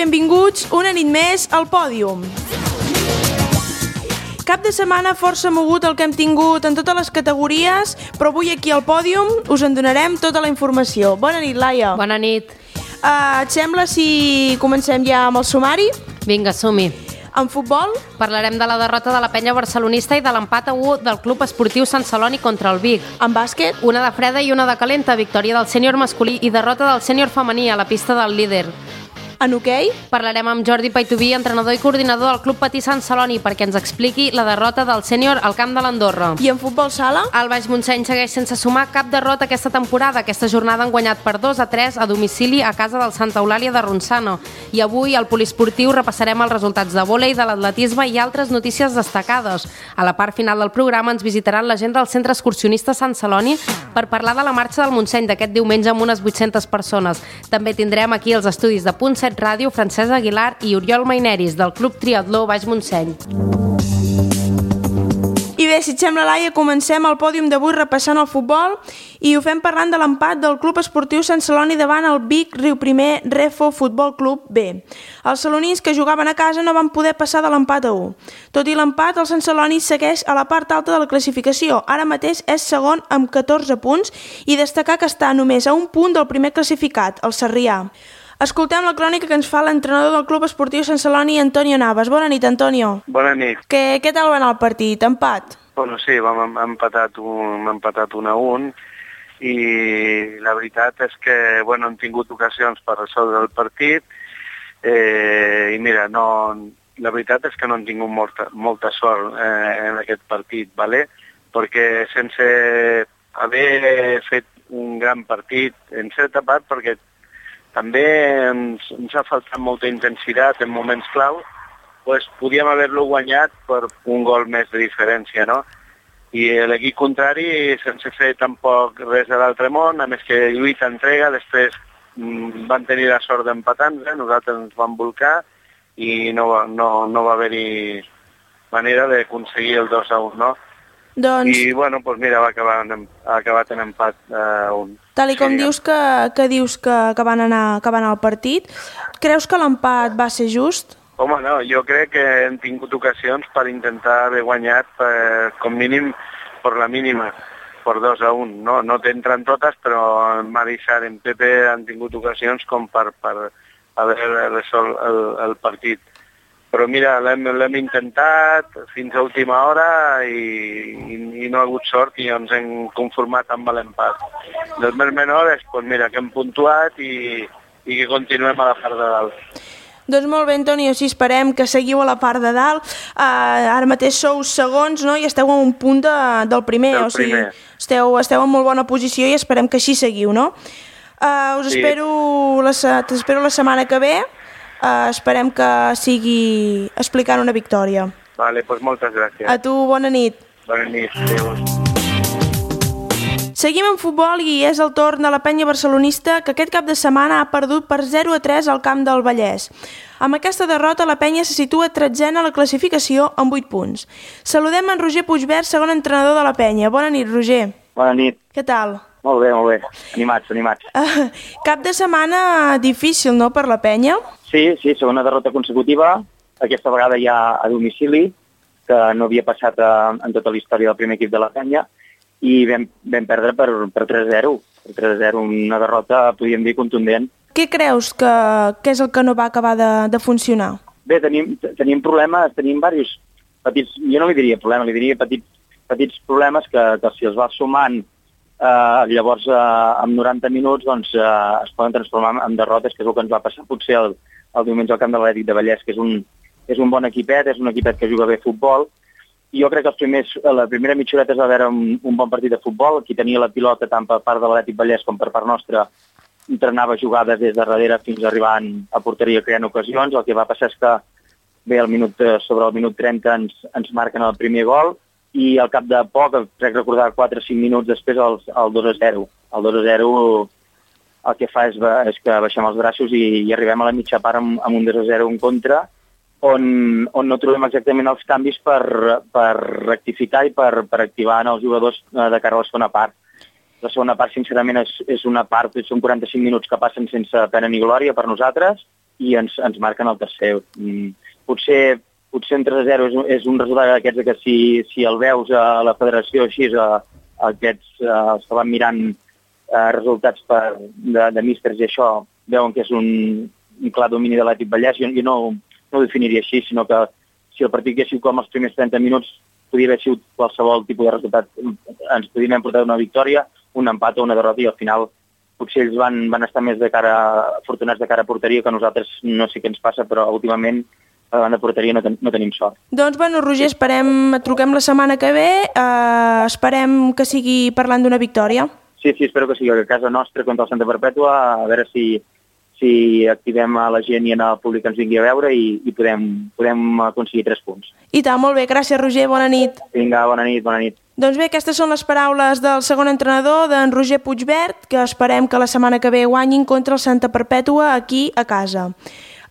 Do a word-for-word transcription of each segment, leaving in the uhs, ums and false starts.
benvinguts una nit més al Pòdium. Cap de setmana força mogut el que hem tingut en totes les categories, però avui aquí al Pòdium us en donarem tota la informació. Bona nit, Laia. Bona nit. Uh, et sembla si comencem ja amb el sumari? Vinga, som-hi. En futbol? Parlarem de la derrota de la penya barcelonista i de l'empat a u del Club Esportiu Sant Celoni contra el Vic. En bàsquet? Una de freda i una de calenta, victòria del sènior masculí i derrota del sènior femení a la pista del líder. En hoquei? Parlarem amb Jordi Paitubí, entrenador i coordinador del Club Patí Sant Celoni, perquè ens expliqui la derrota del sènior al camp de l'Andorra. I en futbol sala? El Baix Montseny segueix sense sumar cap derrota aquesta temporada. Aquesta jornada han guanyat per dos a tres a domicili a casa del Santa Eulàlia de Ronçana. I avui al poliesportiu repassarem els resultats de vòlei, de l'atletisme i altres notícies destacades. A la part final del programa ens visitaran la gent del Centre Excursionista Sant Celoni per parlar de la marxa del Montseny d'aquest diumenge amb unes vuit-centes persones. També tindrem aquí els estudis de Punt set Ràdio, Francesc Aguilar i Oriol Maineris, del Club Triatló Baix Montseny. I bé, si et sembla, Laia, comencem el pòdium d'avui repassant el futbol i ho fem parlant de l'empat del Club Esportiu Sant Celoni davant el Vic Riuprimer Refo Futbol Club B. Els celonins que jugaven a casa no van poder passar de l'empat a u. Tot i l'empat, el Sant Celoni segueix a la part alta de la classificació. Ara mateix és segon amb catorze punts i destacar que està només a un punt del primer classificat, el Sarrià. Escoltem la crònica que ens fa l'entrenador del Club Esportiu Sant Celoni, Antonio Navas. Bona nit, Antonio. Bona nit. Què, què tal va anar el partit? Empat? Bueno, sí, vam empatat un, empatat un a un i la veritat és que bueno, hem tingut ocasions per resoldre el partit eh, i mira, no, la veritat és que no hem tingut molta, molta sort eh, en aquest partit, ¿vale? Perquè sense haver fet un gran partit, en certa part, perquè també ens, ens ha faltat molta intensitat en moments clau, pues podíem haver-lo guanyat per un gol més de diferència, no? I l'equip contrari, sense fer tampoc res de l'altre món, a més que lluita, entrega, després mm, van tenir la sort d'empatar-nos, nosaltres ens vam volcar i no, no, no va haver-hi manera d'aconseguir el dos a un, no? Doncs... I, bueno, doncs mira, va acabar en, ha acabat en empat a uh, un. Tal i com sí, dius que, que dius que, que, van anar, que van anar al partit, creus que l'empat va ser just? Home, no, jo crec que hem tingut ocasions per intentar haver guanyat per, com mínim per la mínima, per dos a un. No, no t'entren totes, però en Marissar i en Pepe han tingut ocasions com per, per haver resolt el, el partit. Però mira, l'hem intentat fins a última hora i, i, i no ha hagut sort i ens hem conformat amb l'empat. Dels més menors, doncs mira, que hem puntuat i, i que continuem a la part de dalt. Doncs molt bé, Antonio, si esperem que seguiu a la part de dalt. Uh, ara mateix sou segons, no?, i esteu a un punt de, del primer, del o sigui, primer. Esteu, esteu en molt bona posició i esperem que així seguiu, no? Uh, us sí. espero, la, t'espero la setmana que ve. Uh, esperem que sigui explicant una victòria. Vale, doncs moltes gràcies. A tu, bona nit. Bona nit, adéu. Seguim en futbol i és el torn de la penya barcelonista que aquest cap de setmana ha perdut per zero a tres al camp del Vallès. Amb aquesta derrota la penya se situa tretzena a la classificació amb vuit punts. Saludem en Roger Puigvert, segon entrenador de la penya. Bona nit, Roger. Bona nit. Què tal? Molt bé, molt bé. Animats, animats. Uh, cap de setmana difícil, no?, per la penya? Sí, sí, segona derrota consecutiva, aquesta vegada ja a domicili, que no havia passat a, en tota la història del primer equip de la penya, i vam, vam perdre per, per tres a zero. Per tres a zero, una derrota, podríem dir, contundent. Què creus que, que és el que no va acabar de, de funcionar? Bé, tenim, tenim problemes, tenim diversos petits, jo no li diria problemes, li diria petits, petits problemes que, que si els vas sumant Uh, llavors uh, amb noranta minuts doncs, uh, es poden transformar en derrotes, que és el que ens va passar potser el, el diumenge al camp de l'Atlètic de Vallès, que és un, és un bon equipet, és un equipet que juga bé a futbol, i jo crec que els primers, la primera mitja horeta es va veure un, un bon partit de futbol. Qui tenia la pilota tant per part de l'Atlètic Vallès com per part nostra entrenava jugades des de darrere fins a arribar a porteria creant ocasions. El que va passar és que bé, el minut, sobre el minut trenta ens, ens marquen el primer gol, i al cap de poc, crec recordar quatre o cinc minuts després, el, el dos a zero. El dos a zero el que fa és, és que baixem els braços i, i arribem a la mitja part amb, amb un dos a zero en contra, on, on no trobem exactament els canvis per, per rectificar i per, per activar en els jugadors de cara a la segona part. La segona part, sincerament, és, és una part, són quaranta-cinc minuts que passen sense pena ni glòria per nosaltres, i ens, ens marquen el tercer. Potser, potser un tres a zero és, és un resultat d'aquests que si, si el veus a la federació així, a, a aquests uh, que van mirant uh, resultats per, de, de místers i això, veuen que és un, un clar domini de l'Atlètic Vallès. Jo, jo no, no ho definiria així, sinó que si el partit hagués sigut com els primers trenta minuts, podria haver sigut qualsevol tipus de resultat. Ens podríem haver portat una victòria, un empat o una derrota, i al final potser ells van, van estar més de cara, afortunats de cara a porteria, que nosaltres no sé què ens passa, però últimament a la banda de porteria no, ten, no tenim sort. Doncs, bueno, Roger, esperem, truquem la setmana que ve, eh, esperem que sigui parlant d'una victòria. Sí, sí, espero que sigui a casa nostra contra el Santa Perpètua, a veure si, si activem a la gent i al públic que ens vingui a veure i, i podem, podem aconseguir tres punts. I tant, molt bé, gràcies, Roger, bona nit. Vinga, bona nit, bona nit. Doncs bé, aquestes són les paraules del segon entrenador, d'en Roger Puigvert, que esperem que la setmana que ve guanyin contra el Santa Perpètua aquí a casa.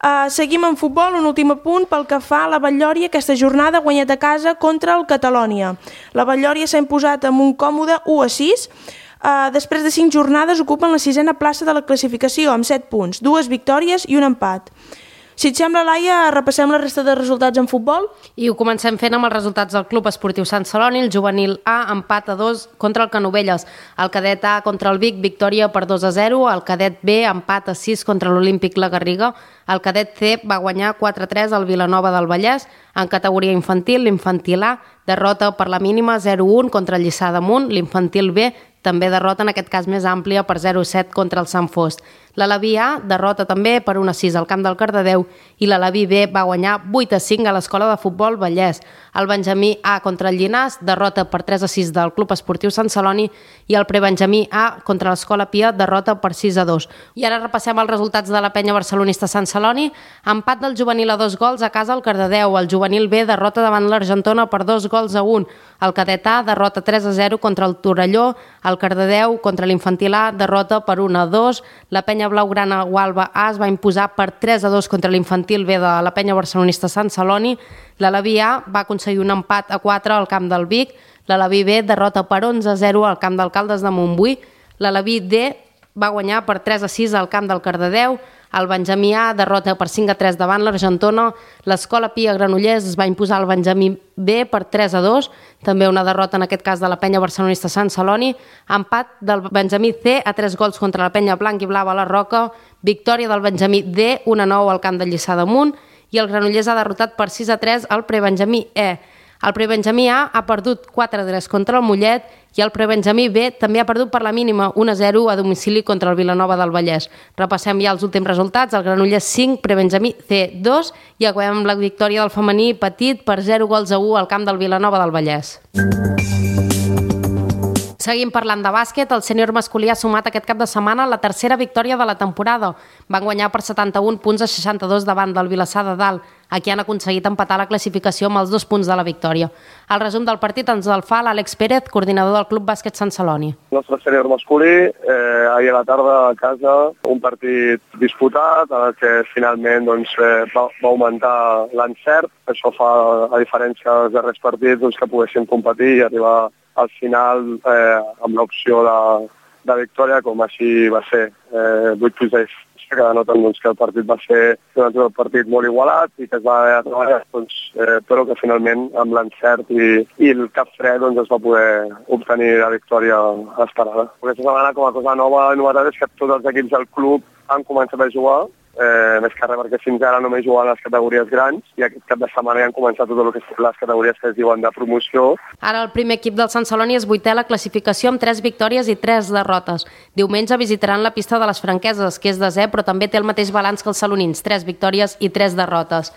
Uh, seguim en futbol, un últim apunt pel que fa a la Batllòria. Aquesta jornada ha guanyat a casa contra el Catalònia. La Batllòria s'ha imposat amb un còmode u a sis. Uh, després de cinc jornades ocupen la sisena plaça de la classificació amb set punts, dues victòries i un empat. Si et sembla, Laia, repassem la resta de resultats en futbol? I ho comencem fent amb els resultats del Club Esportiu Sant Celoni. El juvenil A empat a dos contra el Canovelles. El cadet A contra el Vic, victòria per dos a zero. El cadet B empat a sis contra l'Olímpic La Garriga. El cadet C va guanyar quatre a tres al Vilanova del Vallès. En categoria infantil, l'infantil A derrota per la mínima zero a un contra el Lliçà d'Amunt. L'infantil B també derrota, en aquest cas més àmplia, per zero a set contra el Sant Fost. L'Alaví A derrota també per un a sis al camp del Cardedeu i l'Alaví B va guanyar vuit a cinc a l'Escola de Futbol Vallès. El Benjamí A contra el Llinàs derrota per tres a sis del Club Esportiu Sant Celoni i el Prebenjamí A contra l'Escola Pia derrota per sis a dos. I ara repassem els resultats de la penya barcelonista Sant Celoni. Empat del juvenil a dos gols a casa al Cardedeu. El juvenil B derrota davant l'Argentona per dos gols a un. El cadet A derrota tres a zero contra el Torelló. El Cardedeu contra l'infantil A derrota per un a dos. La penya blaugrana Gualba A es va imposar per tres a dos contra l'infantil B de la penya barcelonista Sant Celoni. L'Alaví A va aconseguir un empat a quatre al camp del Vic. L'Alaví B derrota per onze a zero al camp d'Alcaldes de Montbui. L'Alaví D va guanyar per tres a sis al camp del Cardedeu. El Benjamí A derrota per cinc a tres davant l'Argentona. L'Escola Pia Granollers es va imposar al Benjamí B per tres a dos. També una derrota, en aquest cas, de la penya barcelonista Sant Celoni. Empat del Benjamí C a tres gols contra la penya blanc i blava a la Roca. Victòria del Benjamí D, un a nou al camp del Lliçà d'Amunt. I el Granollers ha derrotat per sis a tres al Prebenjamí E. El Prebenjamí A ha perdut quatre a tres contra el Mollet i el Prebenjamí B també ha perdut per la mínima un a zero a domicili contra el Vilanova del Vallès. Repassem ja els últims resultats. El Granollers cinc, Prebenjamí C dos i acabem amb la victòria del femení petit per zero gols a u al camp del Vilanova del Vallès. Seguim parlant de bàsquet. El sènior masculí ha sumat aquest cap de setmana la tercera victòria de la temporada. Van guanyar per setanta-un punts a seixanta-dos davant del Vilassar de Dalt. Aquí han aconseguit empatar la classificació amb els dos punts de la victòria. El resum del partit ens el fa l'Àlex Pérez, coordinador del Club Bàsquet Sant Celoni. El nostre sènior masculí, eh, ahir a la tarda a casa, un partit disputat, en el que finalment doncs, eh, va, va augmentar l'encert. Això fa, a diferència dels darrers partits, doncs, que poguessin competir i arribar al final eh, amb l'opció de, de victòria, com així va ser. Eh, vuit punts de que denoten doncs, que el partit va ser doncs, un partit molt igualat i que es va haver de treballar, doncs, eh, però que finalment amb l'encert i, i el cap fred doncs, es va poder obtenir la victòria esperada. Aquesta setmana, com a cosa nova i novetat, és que tots els equips del club han començat a jugar, eh, més que res perquè fins ara només juguen les categories grans i aquest cap de setmana ja han començat tot el que són les categories que es diuen de promoció. Ara el primer equip del Sant Celoni és vuitè a la classificació amb tres victòries i tres derrotes. Diumenge visitaran la pista de les Franqueses, que és desè, però també té el mateix balanç que els salonins, tres victòries i tres derrotes.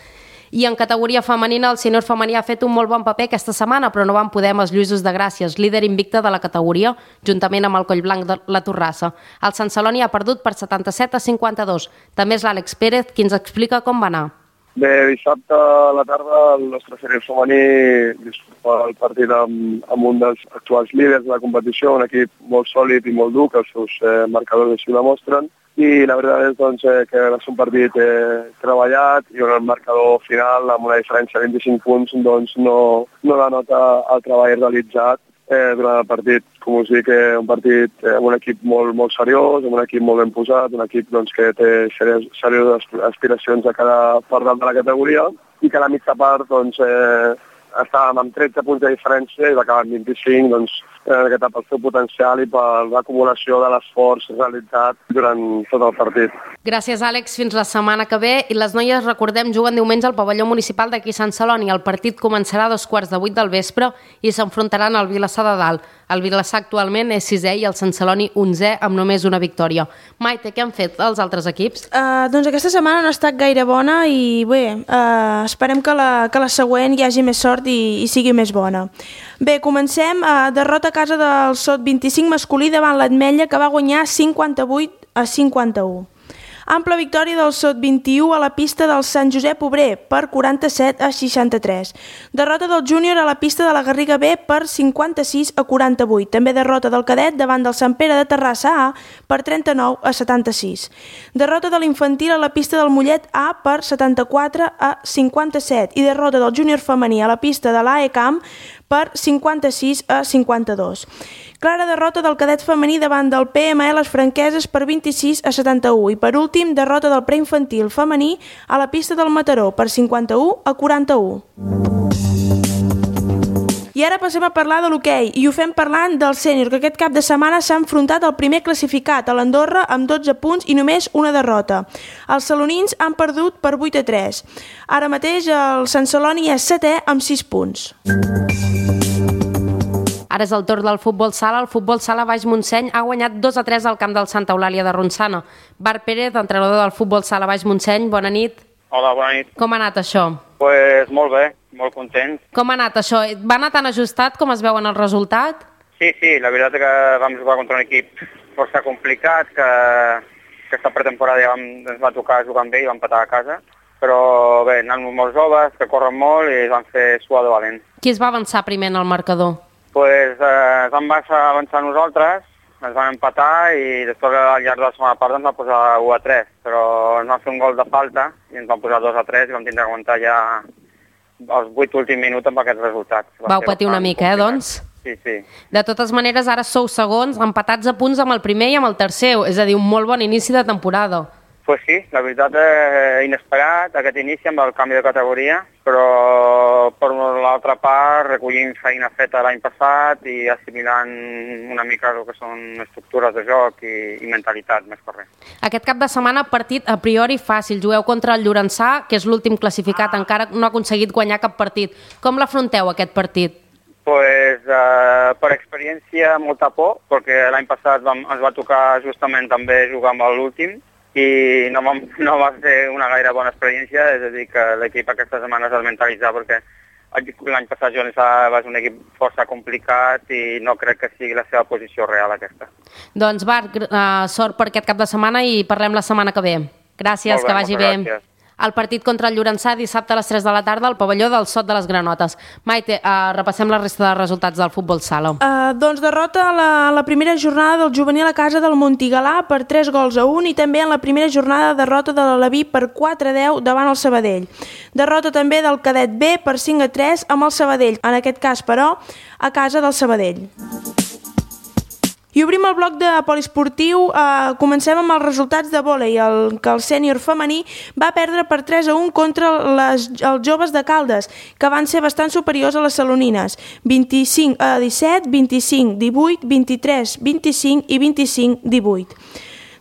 I en categoria femenina, el sènior femení ha fet un molt bon paper aquesta setmana, però no van poder amb els Lluïsos de Gràcies, líder invicte de la categoria, juntament amb el Collblanc de la Torrassa. El Sant Celoni ha perdut per setanta-set a cinquanta-dos. També és l'Àlex Pérez qui ens explica com va anar. Bé, dissabte a la tarda el nostre sènior femení disputa el partit amb, amb un dels actuals líders de la competició, un equip molt sòlid i molt dur, que els seus eh, marcadors així ho demostren. I la veritat és doncs, eh, que va ser un partit eh, treballat i on el marcador final, amb una diferència de vint-i-cinc punts, doncs, no, no denota el treball realitzat eh, durant el partit. Com us dic, eh, un partit eh, amb un equip molt, molt seriós, amb un equip molt ben posat, un equip doncs, que té serioses, serioses aspiracions a cada part de la categoria i que a la mitja part doncs, eh, estàvem amb tretze punts de diferència i va acabar amb vint-i-cinc, doncs, eh, pel seu potencial i per l'acumulació de l'esforç realitzat durant tot el partit. Gràcies, Àlex. Fins la setmana que ve. I les noies, recordem, juguen diumenge al pavelló municipal d'aquí Sant Celoni. El partit començarà a dos quarts de vuit del vespre i s'enfrontaran al Vilassar de Dalt. El Vilassar actualment és sisè i el Sant Celoni onzè amb només una victòria. Maite, què han fet els altres equips? Uh, doncs aquesta setmana no ha estat gaire bona i bé, uh, esperem que la, que la següent hi hagi més sort i, i sigui més bona. Bé, comencem. Uh, derrota a casa del Sot vint-i-cinc masculí davant l'Ametlla, que va guanyar cinquanta-vuit a cinquanta-u. Ampla victòria del Sot vint-i-u a la pista del Sant Josep Obrer per quaranta-set a seixanta-tres. Derrota del Júnior a la pista de la Garriga B per cinquanta-sis a quaranta-vuit. També derrota del Cadet davant del Sant Pere de Terrassa A per trenta-nou a setanta-sis. Derrota de l'Infantil a la pista del Mollet A per setanta-quatre a cinquanta-set i derrota del Júnior femení a la pista de l'A E Camp per cinquanta-sis a cinquanta-dos. Clara derrota del Cadet femení davant del P M L Les Franqueses per vint-i-sis a setanta-u i per últim derrota del preinfantil femení a la pista del Mataró per cinquanta-u a quaranta-u. I ara passem a parlar de l'hoquei i ho fem parlant del sènior, que aquest cap de setmana s'ha enfrontat al primer classificat, a l'Andorra, amb dotze punts i només una derrota. Els salonins han perdut per vuit a tres. Ara mateix el Sant Celoni és setè amb sis punts. Ara és el torn del futbol sala. El futbol sala Baix Montseny ha guanyat dos a tres al camp del Santa Eulàlia de Ronçana. Bar Pérez, entrenador del futbol sala Baix Montseny, bona nit. Hola, bona nit. Com ha anat això? Pues molt bé, molt content. Com ha anat això? Va anar tan ajustat com es veu en el resultat? Sí, sí, la veritat és que vam jugar contra un equip força complicat, que aquesta pretemporada ja vam, ens va tocar jugar amb ell i vam empatar a casa. Però bé, anant molt joves, que corren molt i van fer suar de valent. Qui es va avançar primer en el marcador? Pues eh, vam avançar nosaltres, ens van empatar i després al llarg de la segona part ens va posar u a tres, però ens van fer un gol de falta i ens van posar dos a tres i vam tindre que aguantar ja els vuit últims minuts amb aquests resultats. Vau patir una mica, eh, doncs? Sí, sí. De totes maneres, ara sou segons, empatats a punts amb el primer i amb el tercer, és a dir, un molt bon inici de temporada. Pues sí, la veritat és inesperat aquest inici amb el canvi de categoria, però per l'altra part recollint feina feta l'any passat i assimilant una mica el que són estructures de joc i, i mentalitat, més correcte. Aquest cap de setmana partit a priori fàcil, jugueu contra el Llorençà, que és l'últim classificat, encara no ha aconseguit guanyar cap partit. Com l'afronteu aquest partit? Pues, eh, per experiència molta por, perquè l'any passat vam, ens va tocar justament també jugar amb l'últim, i no, vam, no va ser una gaire bona experiència, és a dir, que l'equip aquesta setmana s'ha de mentalitzar perquè l'any passat Jonesà va ser un equip força complicat i no crec que sigui la seva posició real aquesta. Doncs Bart, uh, sort per aquest cap de setmana i parlem la setmana que ve. Gràcies, bé, que vagi bé. Gràcies. El partit contra el Llorençà dissabte a les tres de la tarda al pavelló del Sot de les Granotes. Maite, uh, repassem la resta de resultats del futbol sala. Uh, doncs derrota a la, la primera jornada del juvenil a casa del Montigalà per tres gols a un i també en la primera jornada derrota de l'Alaví per quatre a deu davant el Sabadell. Derrota també del Cadet B per cinc a tres amb el Sabadell, en aquest cas però a casa del Sabadell. I obrim el bloc de poliesportiu, eh, comencem amb els resultats de vòlei, el, que el sènior femení va perdre per tres a un contra les, els joves de Caldes, que van ser bastant superiors a les salonines, vint-i-cinc a disset, vint-i-cinc a divuit, vint-i-tres a vint-i-cinc i vint-i-cinc a divuit.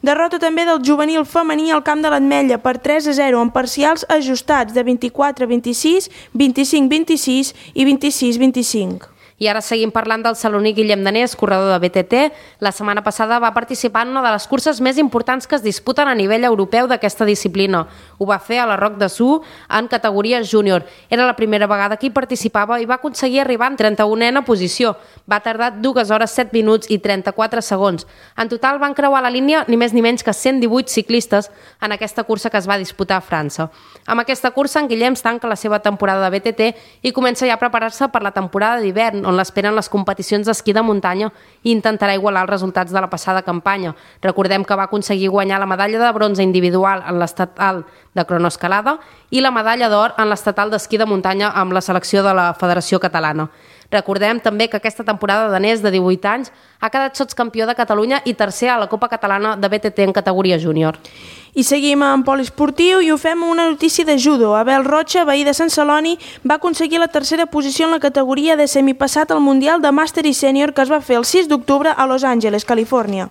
Derrota també del juvenil femení al camp de l'Ametlla per tres a zero, amb parcials ajustats de vint-i-quatre a vint-i-sis, vint-i-cinc a vint-i-sis i vint-i-sis a vint-i-cinc. I ara seguim parlant del saloní Guillem Danés, corredor de B T T. La setmana passada va participar en una de les curses més importants que es disputen a nivell europeu d'aquesta disciplina. Ho va fer a la Roc de Su en categoria júnior. Era la primera vegada que hi participava i va aconseguir arribar en trenta-unena posició. Va tardar dues hores, set minuts i trenta-quatre segons. En total van creuar la línia ni més ni menys que cent divuit ciclistes en aquesta cursa que es va disputar a França. Amb aquesta cursa en Guillem tanca la seva temporada de B T T i comença ja a preparar-se per la temporada d'hivern, on l'esperen les competicions d'esquí de muntanya i intentarà igualar els resultats de la passada campanya. Recordem que va aconseguir guanyar la medalla de bronze individual en l'estatal de cronoescalada i la medalla d'or en l'estatal d'esquí de muntanya amb la selecció de la Federació Catalana. Recordem també que aquesta temporada danès de divuit anys ha quedat sotscampió de Catalunya i tercer a la Copa Catalana de B T T en categoria júnior. I seguim en poliesportiu i ho fem amb una notícia de judo. Abel Rocha, veí de Sant Celoni, va aconseguir la tercera posició en la categoria de semipassat al Mundial de Màster i Sènior que es va fer el sis d'octubre a Los Angeles, Califòrnia.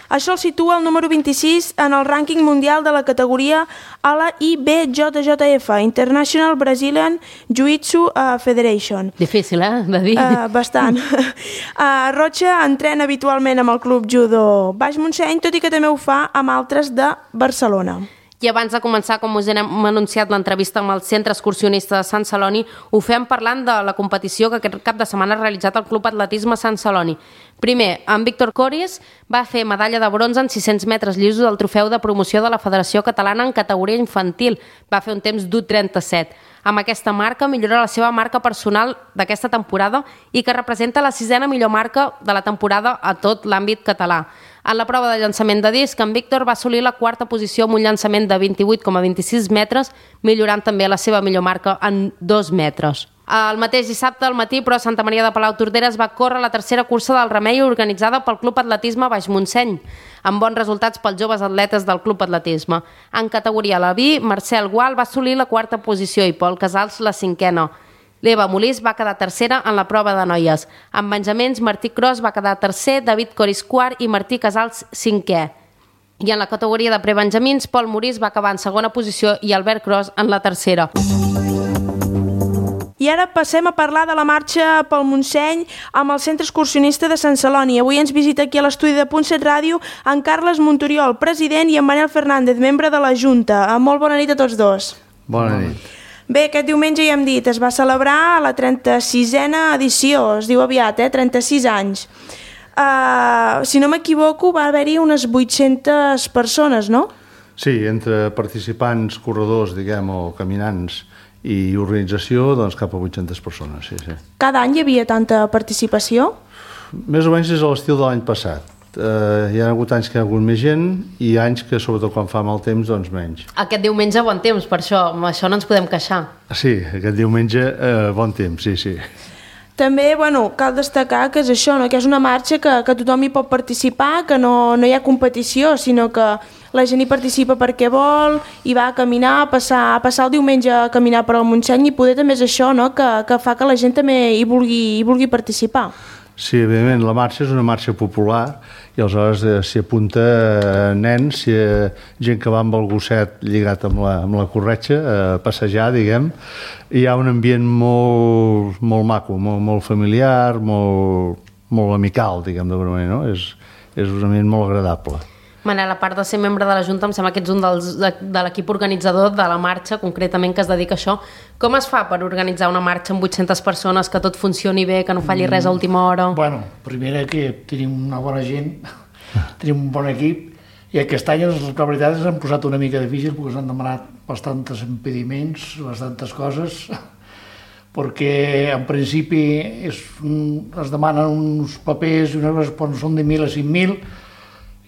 Això el situa el número vint-i-sis en el rànquing mundial de la categoria a la I B J J F, International Brazilian Jiu-Jitsu Federation. Difícil, eh, de dir. Uh, bastant. Uh, Rocha entrena habitualment amb el Club Judo Baix Montseny, tot i que també ho fa amb altres de Barcelona. I abans de començar, com us hem anunciat l'entrevista amb el Centre Excursionista de Sant Celoni, ho fem parlant de la competició que aquest cap de setmana ha realitzat el Club Atletisme Sant Celoni. Primer, en Víctor Coris va fer medalla de bronze en sis-cents metres llisos del trofeu de promoció de la Federació Catalana en categoria infantil. Va fer un temps d'u trenta-set. Amb aquesta marca millora la seva marca personal d'aquesta temporada i que representa la sisena millor marca de la temporada a tot l'àmbit català. En la prova de llançament de disc, en Víctor va assolir la quarta posició amb un llançament de vint-i-vuit coma vint-i-sis metres, millorant també la seva millor marca en dos metres. El mateix dissabte al matí, però, a Santa Maria de Palautordera es va córrer la tercera cursa del Remei organitzada pel Club Atletisme Baix Montseny, amb bons resultats pels joves atletes del Club Atletisme. En categoria Leví, Marcel Gual va assolir la quarta posició i Pol Casals la cinquena. L'Eva Molís va quedar tercera en la prova de noies. En Benjamins, Martí Cros va quedar tercer, David Coris quart i Martí Casals cinquè. I en la categoria de prebenjamins, Pol Morís va acabar en segona posició i Albert Cros en la tercera. I ara passem a parlar de la marxa pel Montseny amb el Centre Excursionista de Sant Celoni. Avui ens visita aquí a l'estudi de Punt set Ràdio en Carles Montoriol, president, i en Manel Fernández, membre de la Junta. Molt bona nit a tots dos. Bona nit. Bé, aquest diumenge ja hem dit, es va celebrar la trenta-sisena edició, es diu aviat, eh? trenta-sis anys. Uh, si no m'equivoco, va haver-hi unes vuit-centes persones, no? Sí, entre participants, corredors, diguem, o caminants i organització, doncs cap a vuit-centes persones, sí, sí. Cada any hi havia tanta participació? Més o menys és a l'estil de l'any passat. Uh, hi ha hagut anys que hi ha hagut més gent i anys que, sobretot quan fa mal temps, doncs menys. Aquest diumenge bon temps, per això, amb això no ens podem queixar. Sí, aquest diumenge uh, bon temps, sí, sí. També, bueno, cal destacar que és això, no? Que és una marxa que, que tothom hi pot participar, que no, no hi ha competició, sinó que la gent hi participa perquè vol, i va a caminar, a passar, a passar el diumenge a caminar per al Montseny, i poder també és això, no? que, que fa que la gent també hi vulgui, hi vulgui participar. Sí, evidentment, la marxa és una marxa popular i aleshores eh, s'hi apunta eh, nens, si, eh, gent que va amb el gosset lligat amb la, amb la corretxa, a eh, passejar, diguem. I hi ha un ambient molt, molt maco, molt, molt familiar, molt, molt amical, diguem d'alguna manera, no? És, és un ambient molt agradable. Manel, a part de ser membre de la Junta, em sembla que ets un dels, de, de l'equip organitzador de la marxa, concretament, que es dedica a això. Com es fa per organitzar una marxa amb vuit-centes persones, que tot funcioni bé, que no falli res a última hora? Bueno, primera que tenim una bona gent, tenim un bon equip, i aquest any, la veritat, ens han posat una mica difícil perquè ens han demanat bastants impediments, bastantes coses, perquè en principi és, es demanen uns papers i unes coses són de mil a cinc mil,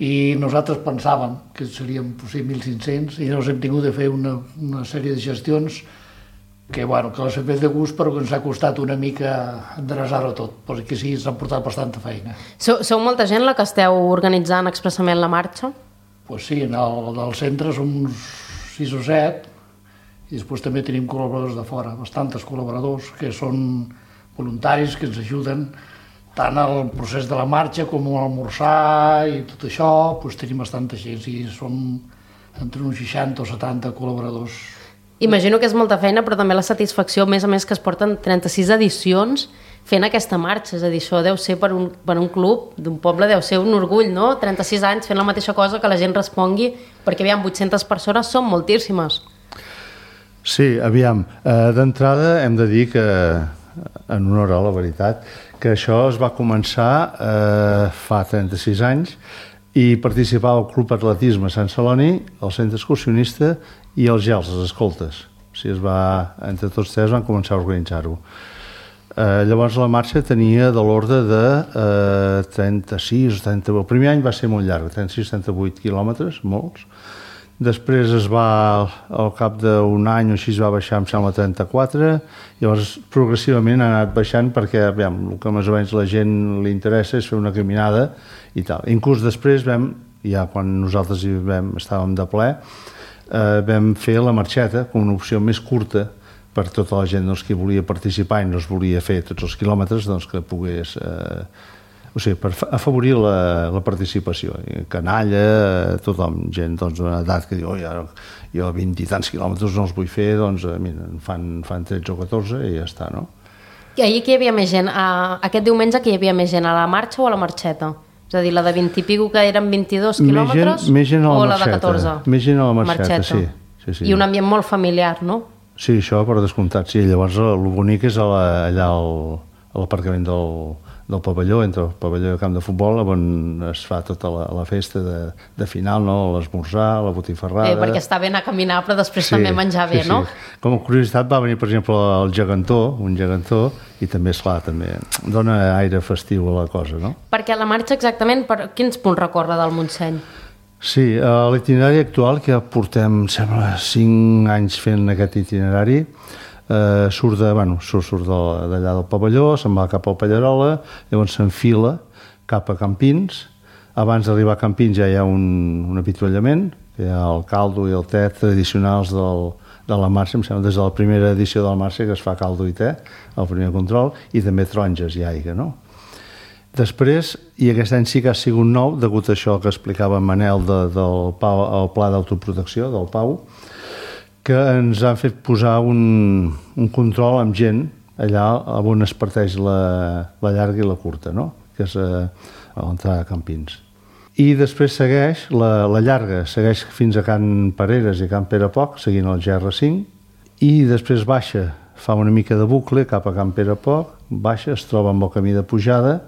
i nosaltres pensàvem que serien potser mil cinc-cents i llavors hem tingut de fer una, una sèrie de gestions que, bueno, que les hem fet de gust però que ens ha costat una mica endreçar-ho tot, perquè sí, ens han portat bastanta feina. Sou, sou molta gent la que esteu organitzant expressament la marxa? Pues sí, en el del centre som uns sis o set i després també tenim col·laboradors de fora, bastantes col·laboradors que són voluntaris, que ens ajuden tant al procés de la marxa com a l'almorzar i tot això, doncs tenim bastanta gent, i som entre uns seixanta o setanta col·laboradors. Imagino que és molta feina, però també la satisfacció, a més a més que es porten trenta-sis edicions fent aquesta marxa, és a dir, això deu ser per un, per un club d'un poble, deu ser un orgull, no? trenta-sis anys fent la mateixa cosa, que la gent respongui, perquè aviam, vuit-centes persones són moltíssimes. Sí, aviam, eh, d'entrada hem de dir que, en honor a la veritat, que això es va començar eh, fa trenta-sis anys i participava el Club Atletisme Sant Celoni, el Centre Excursionista i els GELS, les escoltes. O sigui, es va, entre tots tres van començar a organitzar-ho. Eh, llavors la marxa tenia de l'ordre de eh, trenta-sis, trenta... El primer any va ser molt llarg, trenta-sis trenta-vuit quilòmetres, molts, després es va, al cap d'un any o així es va baixar, em sembla, a trenta-quatre, llavors progressivament ha anat baixant perquè, aviam, el que més o menys la gent li interessa és fer una caminada i tal. Inclús després vam, ja quan nosaltres hi vam, estàvem de ple, eh, vam fer la marxeta com una opció més curta per tota la gent doncs, que volia participar i no es volia fer tots els quilòmetres, doncs que pogués... Eh, o sigui, per afavorir la, la participació. Canalla, tothom, gent doncs, d'una edat que diu oh, ja, jo vint i tants quilòmetres no els vull fer, doncs mira, fan, fan tretze o catorze i ja està, no? I ahir que hi havia més gent? Uh, aquest diumenge que hi havia més gent, a la marxa o a la marxeta? És a dir, la de vint i pico que eren vint-i-dos quilòmetres més gent, més gent a la o marxeta, la de catorze? Més gent a la marxeta, marxeta. Sí, sí, sí. I un ambient molt familiar, no? Sí, això per descomptat, sí. Llavors el bonic és a la, allà al, a l'aparcament del, del pavelló, entre el pavelló i el camp de futbol, on es fa tota la, la festa de, de final, no? L'esmorzar, la botifarrada... Eh, perquè està bé anar a caminar, però després sí, també menjar bé, sí, no? Sí. Com a curiositat va venir, per exemple, el gegantó, un gegantó, i també, esclar, també dona aire festiu a la cosa, no? Perquè la marxa exactament, per quins punts recorre del Montseny? Sí, a l'itinerari actual, que ja portem, sembla, cinc anys fent aquest itinerari, eh, surt de, bueno, surt, surt d'allà del pavelló, se'n va cap al Pallarola, llavors s'enfila cap a Campins. Abans d'arribar a Campins ja hi ha un, un avituallament, que hi ha el caldo i el te tradicionals del, de la marxa, em sembla, des de la primera edició de la marxa que es fa caldo i te, el primer control, i també taronges i aigua, no? Després, i aquest any sí que ha sigut nou, degut a això que explicava Manel de, del Pau, el pla d'autoprotecció del Pau, que ens han fet posar un, un control amb gent allà on es parteix la, la llarga i la curta, no? Que és a, a l'entrada a Campins. I després segueix, la, la llarga segueix fins a Can Pareres i Can Perepoc, seguint el G R cinc, i després baixa, fa una mica de bucle cap a Can Perepoc, baixa, es troba amb el camí de pujada,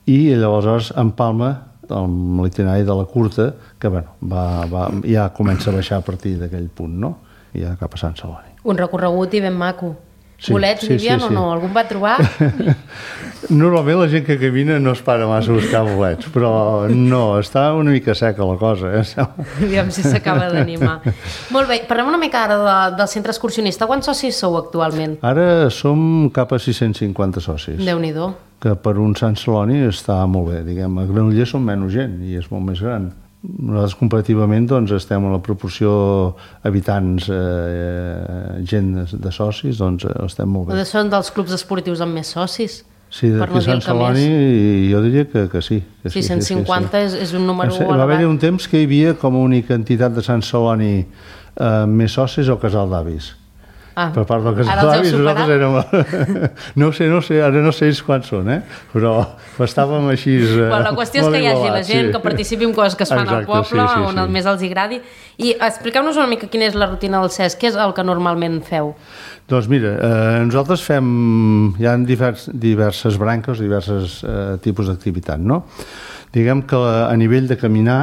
i llavors empalma amb l'itinerari de la curta, que bueno, va, va, ja comença a baixar a partir d'aquell punt, no? I ja cap a Sant Celoni. Un recorregut i ben maco. Sí, bolets, sí, n'hi havia sí, o sí. no? Algun va trobar? Normalment la gent que camina no es para massa a buscar bolets, però no, està una mica seca la cosa. Eh? Aviam si s'acaba d'animar. Molt bé, parlem una mica ara de, del centre excursionista. Quants socis sou actualment? Ara som cap a sis-cents cinquanta socis. Déu-n'hi-do. Que per un Sant Celoni està molt bé. Diguem, a Granollers som menys gent i és molt més gran. Nosaltres comparativament doncs, estem en la proporció habitants, eh, gent de, de socis, doncs estem molt bé. Són dels clubs esportius amb més socis? Sí, d'aquí no Sant Celoni jo diria que, que sí. Que sis-cents cinquanta sí, sí, sí. És, és un número sí, elevat. Va haver-hi un temps que hi havia com a única entitat de Sant Celoni eh, més socis el Casal d'Avis. Ah, per part del Casal d'Avis nosaltres érem... no sé, no sé, ara no sé quants són, eh? Però estàvem així... Eh, bueno, la qüestió és que hi hagi la gent, sí. Que participi en coses que es fan exacte, al poble, sí, sí, on sí. més els agradi. I expliqueu-nos una mica quina és la rutina del C E S, què és el que normalment feu? Doncs mira, eh, nosaltres fem... Hi ha divers, diverses branques, diversos eh, tipus d'activitat, no? Diguem que a nivell de caminar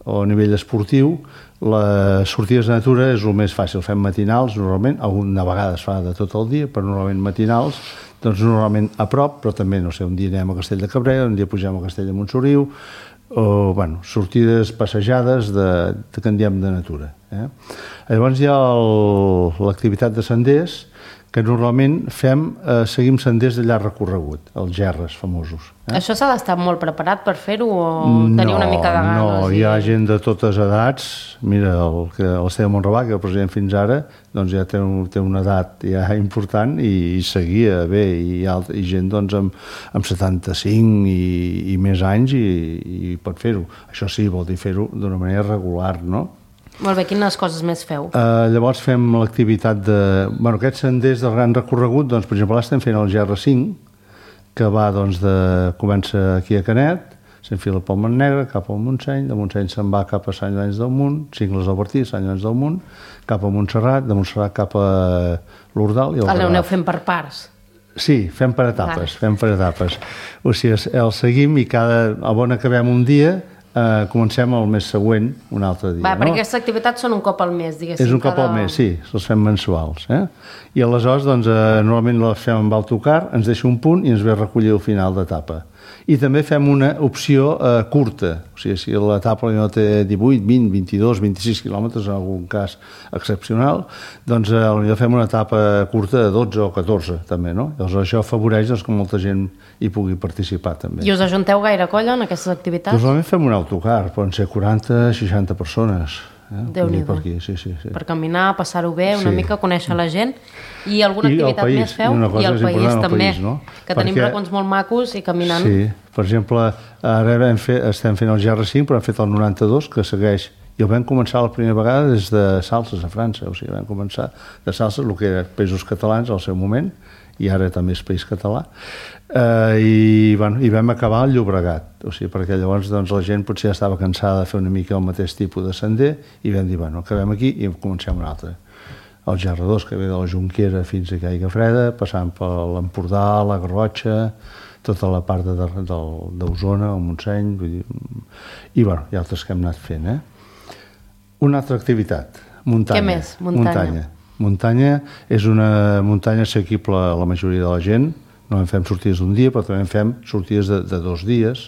o a nivell esportiu, les sortides de natura és el més fàcil. Fem matinals, normalment, alguna vegada es fa de tot el dia, però normalment matinals, doncs normalment a prop, però també, no sé, un dia anem a Castell de Cabrera, un dia pugem a Castell de Montsoriu, o, bueno, sortides, passejades de, de que en diem de natura. Eh? Llavors hi ha l'activitat de senders, que normalment fem, eh, seguim senders de llarg recorregut, els gerres famosos. Eh? Això s'ha d'estar molt preparat per fer-ho o tenir no, una mica de ganes? No, i... hi ha gent de totes edats. Mira, el, que, el Esteve Montrabà, que és el president fins ara, doncs ja té, un, té una edat ja important i, i seguia bé, i, alt, i gent doncs, amb, amb setanta-cinc i, i més anys i, i pot fer-ho. Això sí, vol dir fer-ho d'una manera regular, no? Molt bé, quines coses més feu? Uh, llavors fem l'activitat de... Bueno, aquests senders de gran recorregut, doncs, per exemple, estem fent el G R cinc, que va, doncs, de... comença aquí a Canet, s'enfila pel Montnegre, cap al Montseny, de Montseny se'n va cap a Sant Llorenç del Munt, Cingles del Bertí, Sant Llorenç del Munt, cap a Montserrat, de Montserrat cap a l'Ordal i el Garraf. L'aneu fent per parts? Sí, fem per etapes, fem per etapes. O sigui, el seguim i cada... on acabem un dia, eh, comencem el mes següent, un altre dia. Va, no? perquè aquestes activitats són un cop al mes, diguéssim. És un cop cada... al mes, sí, els fem mensuals. Eh? I aleshores, doncs, eh, normalment les fem amb autocar, ens deixa un punt i ens ve a recollir al final d'etapa. I també fem una opció eh, curta, o sigui, si l'etapa no té divuit, vint, vint-i-dos, vint-i-sis quilòmetres, en algun cas excepcional, doncs eh, potser fem una etapa curta de dotze o catorze, també, no? Llavors això afavoreix doncs, que molta gent hi pugui participar, també. I us ajunteu gaire colla en aquestes activitats? Doncs normalment fem un autocar, poden ser quaranta, seixanta persones. Eh? Déu-n'hi-do. Per aquí, sí, sí, sí. Per caminar, passar-ho bé, una Sí. mica conèixer la gent. I alguna I el activitat país, més feu? i una cosa I el és país important, el també, país, no? que tenim Perquè- racons molt macos i caminant. Sí, per exemple, ara hem fet, estem fent el G R cinc, però hem fet el noranta-dos, que segueix, i el vam començar la primera vegada des de Salses, a França, o sigui, vam començar de Salses, el que era Països Catalans al seu moment, i ara també és País Català, eh, i, bueno, i vam acabar al Llobregat, o sigui, perquè llavors doncs, la gent potser ja estava cansada de fer una mica el mateix tipus de sender, i vam dir, bueno, acabem aquí i comencem un altre. El G R dos, que ve de la Jonquera fins a Caiga Freda, passant per l'Empordà, la Garrotxa, tota la part d'Osona, el Montseny, vull dir, i bueno, hi ha altres que hem anat fent. Eh? Una altra activitat, muntanya. Què més? Muntanya. Muntanya. Muntanya és una muntanya assequible a la majoria de la gent, no en fem sortides d'un dia, però també en fem sortides de, de dos dies,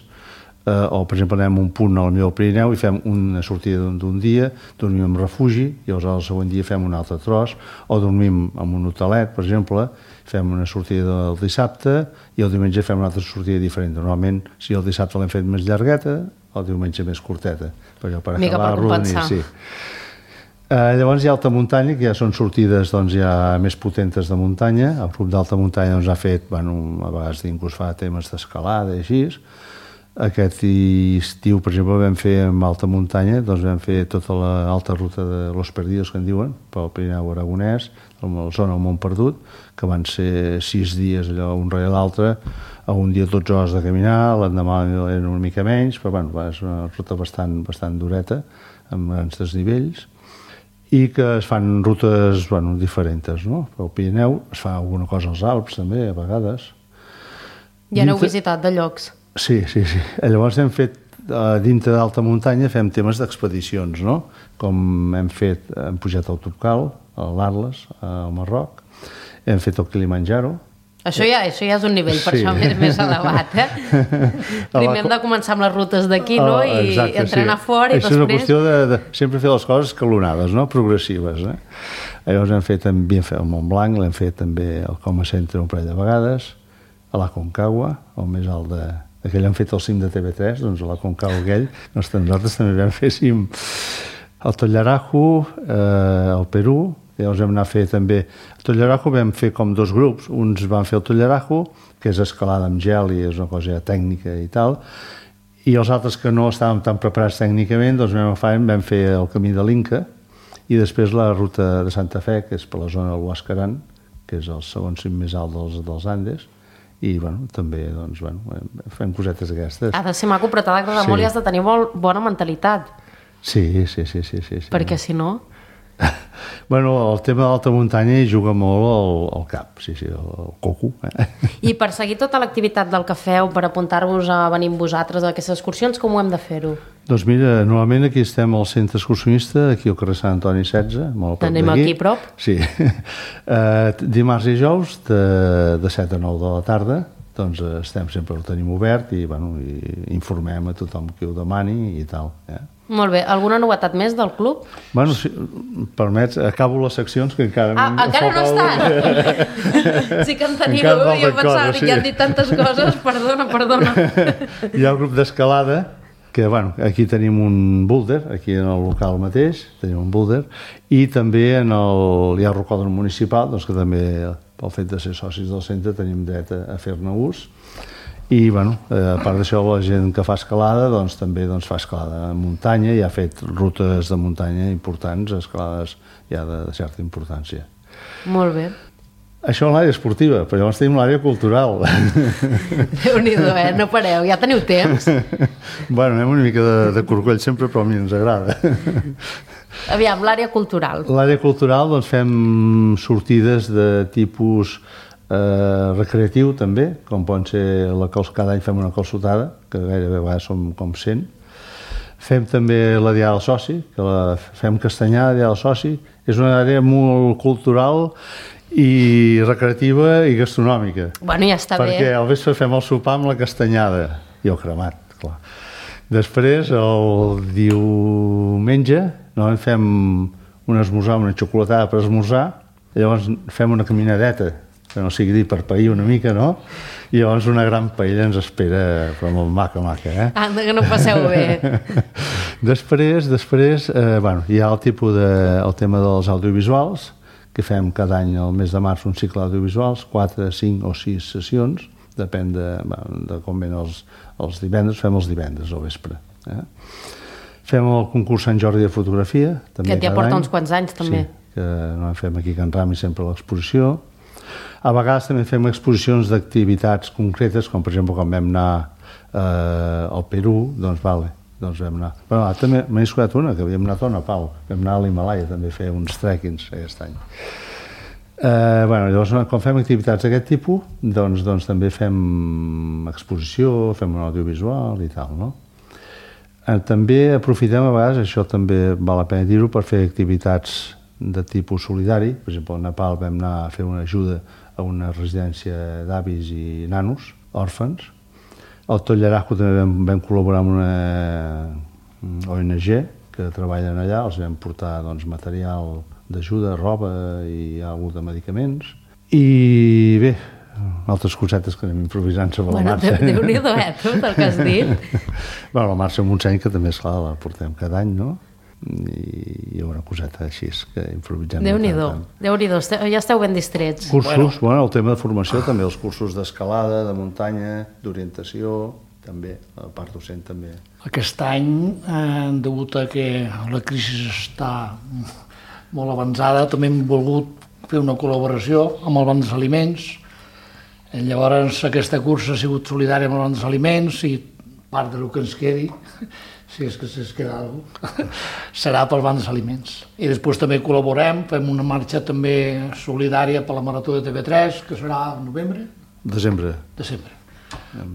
eh, o per exemple anem a un punt al meu Pirineu i fem una sortida d'un dia, dormim en refugi, i llavors el següent dia fem un altre tros, o dormim en un hotelet, per exemple, fem una sortida el dissabte i el diumenge fem una altra sortida diferent. Normalment, si el dissabte l'hem fet més llargueta, el diumenge més curteta, però per mica acabar per compensar. sí. Eh, llavors hi ha alta muntanya, que ja són sortides doncs, ja més potentes de muntanya. El grup d'alta muntanya doncs, ha fet, bueno, a vegades inclús fa temes d'escalada i així. Aquest estiu, per exemple, vam fer amb alta muntanya, doncs vam fer tota l'alta ruta de Los Perdidos, que en diuen, pel Pirineu Aragonès, a la zona del Mont Perdut, que van ser sis dies allò un rere l'altre, a un dia dotze hores de caminar, l'endemà eren una mica menys, però bueno, és una ruta bastant, bastant dureta, amb grans desnivells, i que es fan rutes bueno, diferents, no? Pel Pirineu es fa alguna cosa als Alps també, a vegades. Ja n'heu Dintre... visitat de llocs? Sí, sí, sí. Llavors hem fet, uh, dintre d'alta muntanya, fem temes d'expedicions, no? Com hem fet, hem pujat al Topcal, a l'Atles, al Marroc, hem fet el Kilimanjaro. Això ja, això ja és un nivell, per Sí. això més, més elevat, eh? Primer hem de començar amb les rutes d'aquí, no? I Exacte, entrenar sí. fora i Això és una després... qüestió de, de sempre fer les coses escalonades, no? Progressives. Eh? Llavors hem fet també el Mont Blanc, l'hem fet també al Coma Centre un parell de vegades, a la Concagua, el més alt de... Aquell han fet el cim de T V tres, doncs a la Concagua aquell, doncs nosaltres també vam fer cim al Tollarajo, eh, al Perú. Llavors vam anar a fer també... A Tollarajo vam fer com dos grups. Uns van fer el Tollarajo, que és escalada amb gel i és una cosa tècnica i tal, i els altres que no estàvem tan preparats tècnicament, doncs vam, agafar, vam fer el camí de l'Inca i després la ruta de Santa Fe, que és per la zona del Huascarán, que és el segon cim més alt dels, dels Andes, i bueno, també doncs, bueno, fem cosetes d'aquestes. Ha de ser maco, però t'ha d'agradar Sí. molt i has de tenir molt bona mentalitat, Sí, sí, sí, sí, sí, sí. perquè si no... Bueno, el tema de l'alta muntanya hi juga molt al, al cap, sí, sí, el, el coco. Eh? I per seguir tota l'activitat del que feu, per apuntar-vos a venir amb vosaltres a aquestes excursions, com ho hem de fer-ho? Doncs mira, normalment aquí estem al centre excursionista, aquí al carrer Sant Antoni setze, molt a prop Anem d'aquí. aquí a prop? Sí. Uh, dimarts i dijous, de, de set a nou de la tarda, doncs uh, estem sempre, el tenim obert i, bueno, i informem a tothom qui ho demani i tal. Eh? Molt bé. Alguna novetat més del club? Bueno, si permets, acabo les seccions que encara... Ah, em encara no falta estan? Sí que en teniu, Encara jo falten pensava, coses, que ja sí. han dit tantes coses, perdona, perdona. Hi ha el grup d'escalada, que bueno, aquí tenim un boulder, aquí en el local mateix, tenim un boulder, i també en el, hi ha el rocòdrom municipal, doncs que també, pel fet de ser socis del centre, tenim dret a, a fer-ne ús. I, bueno, eh, a part d'això, la gent que fa escalada, doncs també doncs, fa escalada en muntanya i ha fet rutes de muntanya importants, escalades ja de, de certa importància. Molt bé. Això en l'àrea esportiva, però llavors tenim l'àrea cultural. Déu-n'hi-do, eh? No pareu, ja teniu temps. Bueno, anem una mica de, de corcoll sempre, però a mi ens agrada. Aviam, l'àrea cultural. L'àrea cultural, doncs fem sortides de tipus eh, recreatiu també, com poden ser la cols, cada any fem una calçotada, que gairebé a vegades som com cent, Fem també la Diada del Soci, que la fem castanyada, la Diada del Soci. És una àrea molt cultural i recreativa i gastronòmica. Bueno, ja està perquè bé. Perquè al vespre fem el sopar amb la castanyada i el cremat, clar. Després, el diumenge, no, fem un esmorzar, una xocolatada per esmorzar, i llavors fem una caminadeta, que no sigui dir per pair una mica, no? I llavors una gran paella ens espera, però molt maca, maca, eh? Anda, que no passeu bé. Després, després eh, bueno, hi ha el tipus de, el tema dels audiovisuals, que fem cada any al mes de març un cicle d'audiovisuals, quatre, cinc o sis sessions, depèn de, bueno, de com ven els, els divendres, fem els divendres al vespre. Eh? Fem el concurs Sant Jordi de fotografia, també que ja cada porta any. uns quants anys, també. Sí, que no en fem aquí a Can Rami sempre l'exposició. A vegades també fem exposicions d'activitats concretes, com per exemple quan vam anar eh, al Perú, doncs vale, doncs vam anar. Però ah, també m'he escoltat una, que havíem anat a Nepal, vam anar a l'Himalaya també a fer uns trekkings aquest any. Eh, bueno, llavors, quan fem activitats d'aquest tipus, doncs, doncs també fem exposició, fem un audiovisual i tal, no? Eh, també aprofitem a vegades, això també val la pena dir-ho, per fer activitats de tipus solidari. Per exemple, al Nepal vam anar a fer una ajuda a una residència d'avis i nanos, òrfans. Al Tolleraco també vam, vam col·laborar amb una O N G que treballen allà, els vam portar doncs, material d'ajuda, roba i alguna de medicaments. I bé, altres cosetes que anem improvisant sobre bueno, la marxa. Déu-n'hi-do, eh, tot el que has dit. Bueno, la marxa Montseny, que també, esclar, la portem cada any, no? I hi ha una coseta així que improvisem. Déu-n'hi-do, Déu-n'hi-do, ja esteu ben distrets. Cursos, bueno. bueno, el tema de formació també, els cursos d'escalada, de muntanya, d'orientació, també, la part docent també. Aquest any, eh, degut a que la crisi està molt avançada, també hem volgut fer una col·laboració amb el Banc dels Aliments. Llavors, aquesta cursa ha sigut solidària amb el Banc dels Aliments i part del que ens quedi, si és que es queda alguna cosa, serà pel Banc dels Aliments. I després també col·laborem, fem una marxa també solidària per la Marató de T V tres, que serà en novembre? Desembre. Desembre.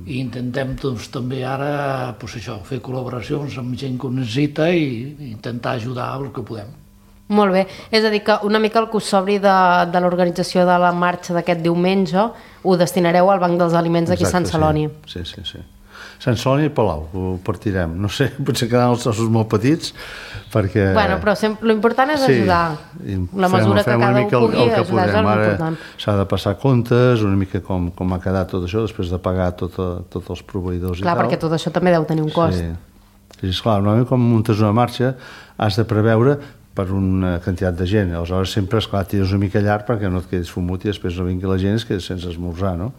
I intentem doncs, també ara pues, això, fer col·laboracions amb gent que ho necessita i intentar ajudar el que podem. Molt bé, és a dir que una mica el que us sobri de, de l'organització de la marxa d'aquest diumenge ho destinareu al Banc dels Aliments d'aquí a Sant Celoni. Sí, sí, sí. Sant Celoni i Palau, ho partirem. No sé, potser quedaran els ossos molt petits, perquè... Bueno, però l'important és ajudar. Sí, la mesura que cada un pugui el, el ajudar és l'important. S'ha de passar comptes, una mica com, com ha quedat tot això, després de pagar tot, tots els proveïdors clar, i tal. Clar, perquè tot això també deu tenir un cost. Sí, sí esclar, normalment quan muntes una marxa has de preveure per una quantitat de gent. Aleshores sempre, esclar, tires una mica llarg perquè no et quedis fumut i després no vingui la gent i es quedis sense esmorzar, no?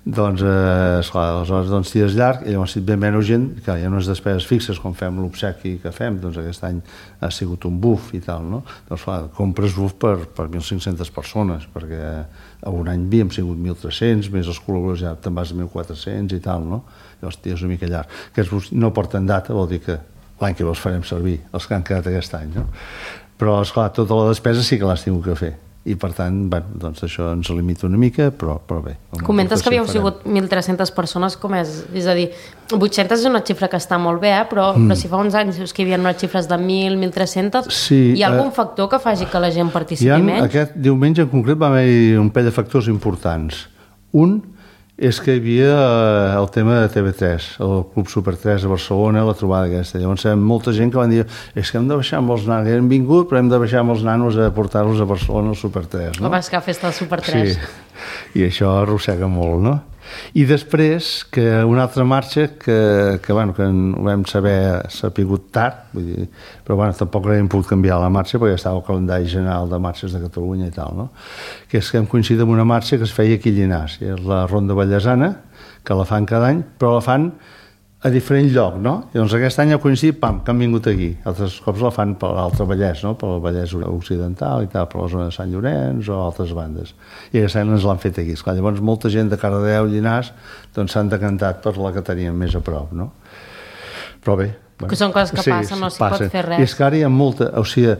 Doncs, eh, esclar, aleshores doncs, tires llarg i llavors si et ve menys gent, clar, hi ha unes despeses fixes com fem l'obsequi que fem, doncs aquest any ha sigut un buf i tal, no? Doncs clar, compres buf per, per mil cinc-centes persones, perquè a un any havíem sigut mil tres-cents, més els col·laboradors ja te'n vas a mil quatre-cents i tal, no? Llavors tires una mica llarg. Aquests bufs no porten data, vol dir que l'any que els farem servir, els que han quedat aquest any, no? Però, esclar, tota la despesa sí que l'has tingut que fer. I, per tant, bueno, doncs això ens limita una mica, però, però bé. Comentes que havíeu sigut mil tres-centes persones, com és? És a dir, vuit-centes és una xifra que està molt bé, eh? però, mm. però si fa uns anys que hi havia unes xifres de mil, mil tres-centes, sí, hi ha algun eh, factor que faci que la gent participi ha, menys? Aquest diumenge en concret va haver un parell de factors importants. Un és que hi havia el tema de T V tres, el Club Super tres a Barcelona, la trobada aquesta. Llavors, molta gent que van dir és que hem de baixar amb els nanos, hem vingut, però hem de baixar amb els nanos a portar-los a Barcelona al Super tres, no? Com és que ha fet el Super tres. Sí, i això arrossega molt, no? I després, que una altra marxa que, que, bueno, que ho vam saber, s'ha pigut tard, vull dir, però bueno, tampoc hem pogut canviar la marxa perquè estava el calendari general de marxes de Catalunya i tal, no? Que és que hem coincidit amb una marxa que es feia aquí a Llinars, és la Ronda Vallesana, que la fan cada any, però la fan a diferent lloc, no? I doncs aquest any ha coincidit, pam, que han vingut aquí. Altres cops la fan per l'altre Vallès, no? Per el Vallès Occidental i tal, per la zona de Sant Llorenç o altres bandes. I aquest any ens l'han fet aquí. Esclar, llavors molta gent de Cardedeu i Llinars doncs s'han decantat per la que teníem més a prop, no? Però bé... Bueno, que són coses que sí, passen, no s'hi pot fer res. I és que ara hi ha molta... O sigui,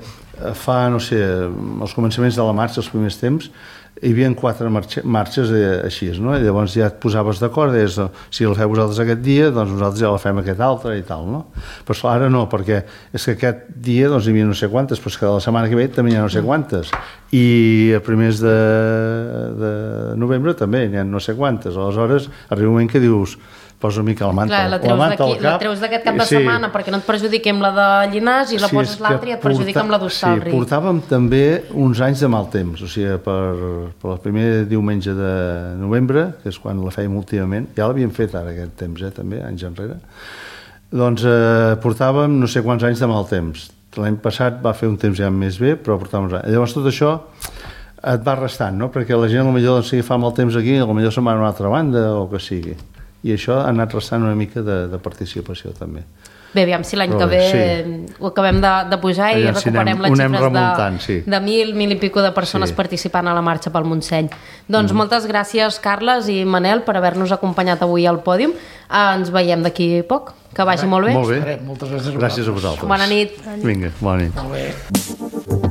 fa, no sé, els començaments de la marxa, els primers temps, hi havia quatre marxes així, no? I llavors ja et posaves d'acord, és, si el feu vosaltres aquest dia, doncs nosaltres ja la fem aquest altre i tal, no? Però esclar, ara no, perquè és que aquest dia doncs hi havia no sé quantes, però és que la setmana que ve també hi ha no sé quantes, i a primers de, de novembre també hi ha no sé quantes, aleshores arriba un moment que dius, posa una mica la manta, Clar, la treus, la manta al cap. La treus d'aquest cap de sí. setmana perquè no et perjudiqui amb la de Llinars i la sí, poses l'altra i et perjudica porta... amb la d'Hostalric. Sí, portàvem també uns anys de mal temps, o sigui, per, per el primer diumenge de novembre, que és quan la fèiem últimament, ja l'havíem fet ara aquest temps, eh, també, anys enrere, doncs eh, portàvem no sé quants anys de mal temps. L'any passat va fer un temps ja més bé, però portàvem uns anys. Llavors tot això et va restant, no? Perquè la gent potser doncs, si fa mal temps aquí, potser se'n va a una altra banda o que sigui. I això ha anat restant una mica de, de participació també. Bé, aviam si l'any que ve sí. ho acabem de, de pujar i aviam, recuperem si les xifres de, sí. de mil, mil i pico de persones sí. participant a la marxa pel Montseny. Doncs mm. moltes gràcies, Carles i Manel, per haver-nos acompanyat avui al pòdium. Ens veiem d'aquí poc. Que vagi molt bé. Molt bé. Moltes gràcies a vosaltres. Gràcies a vosaltres. Bona nit. Vinga, bona nit. Molt bé.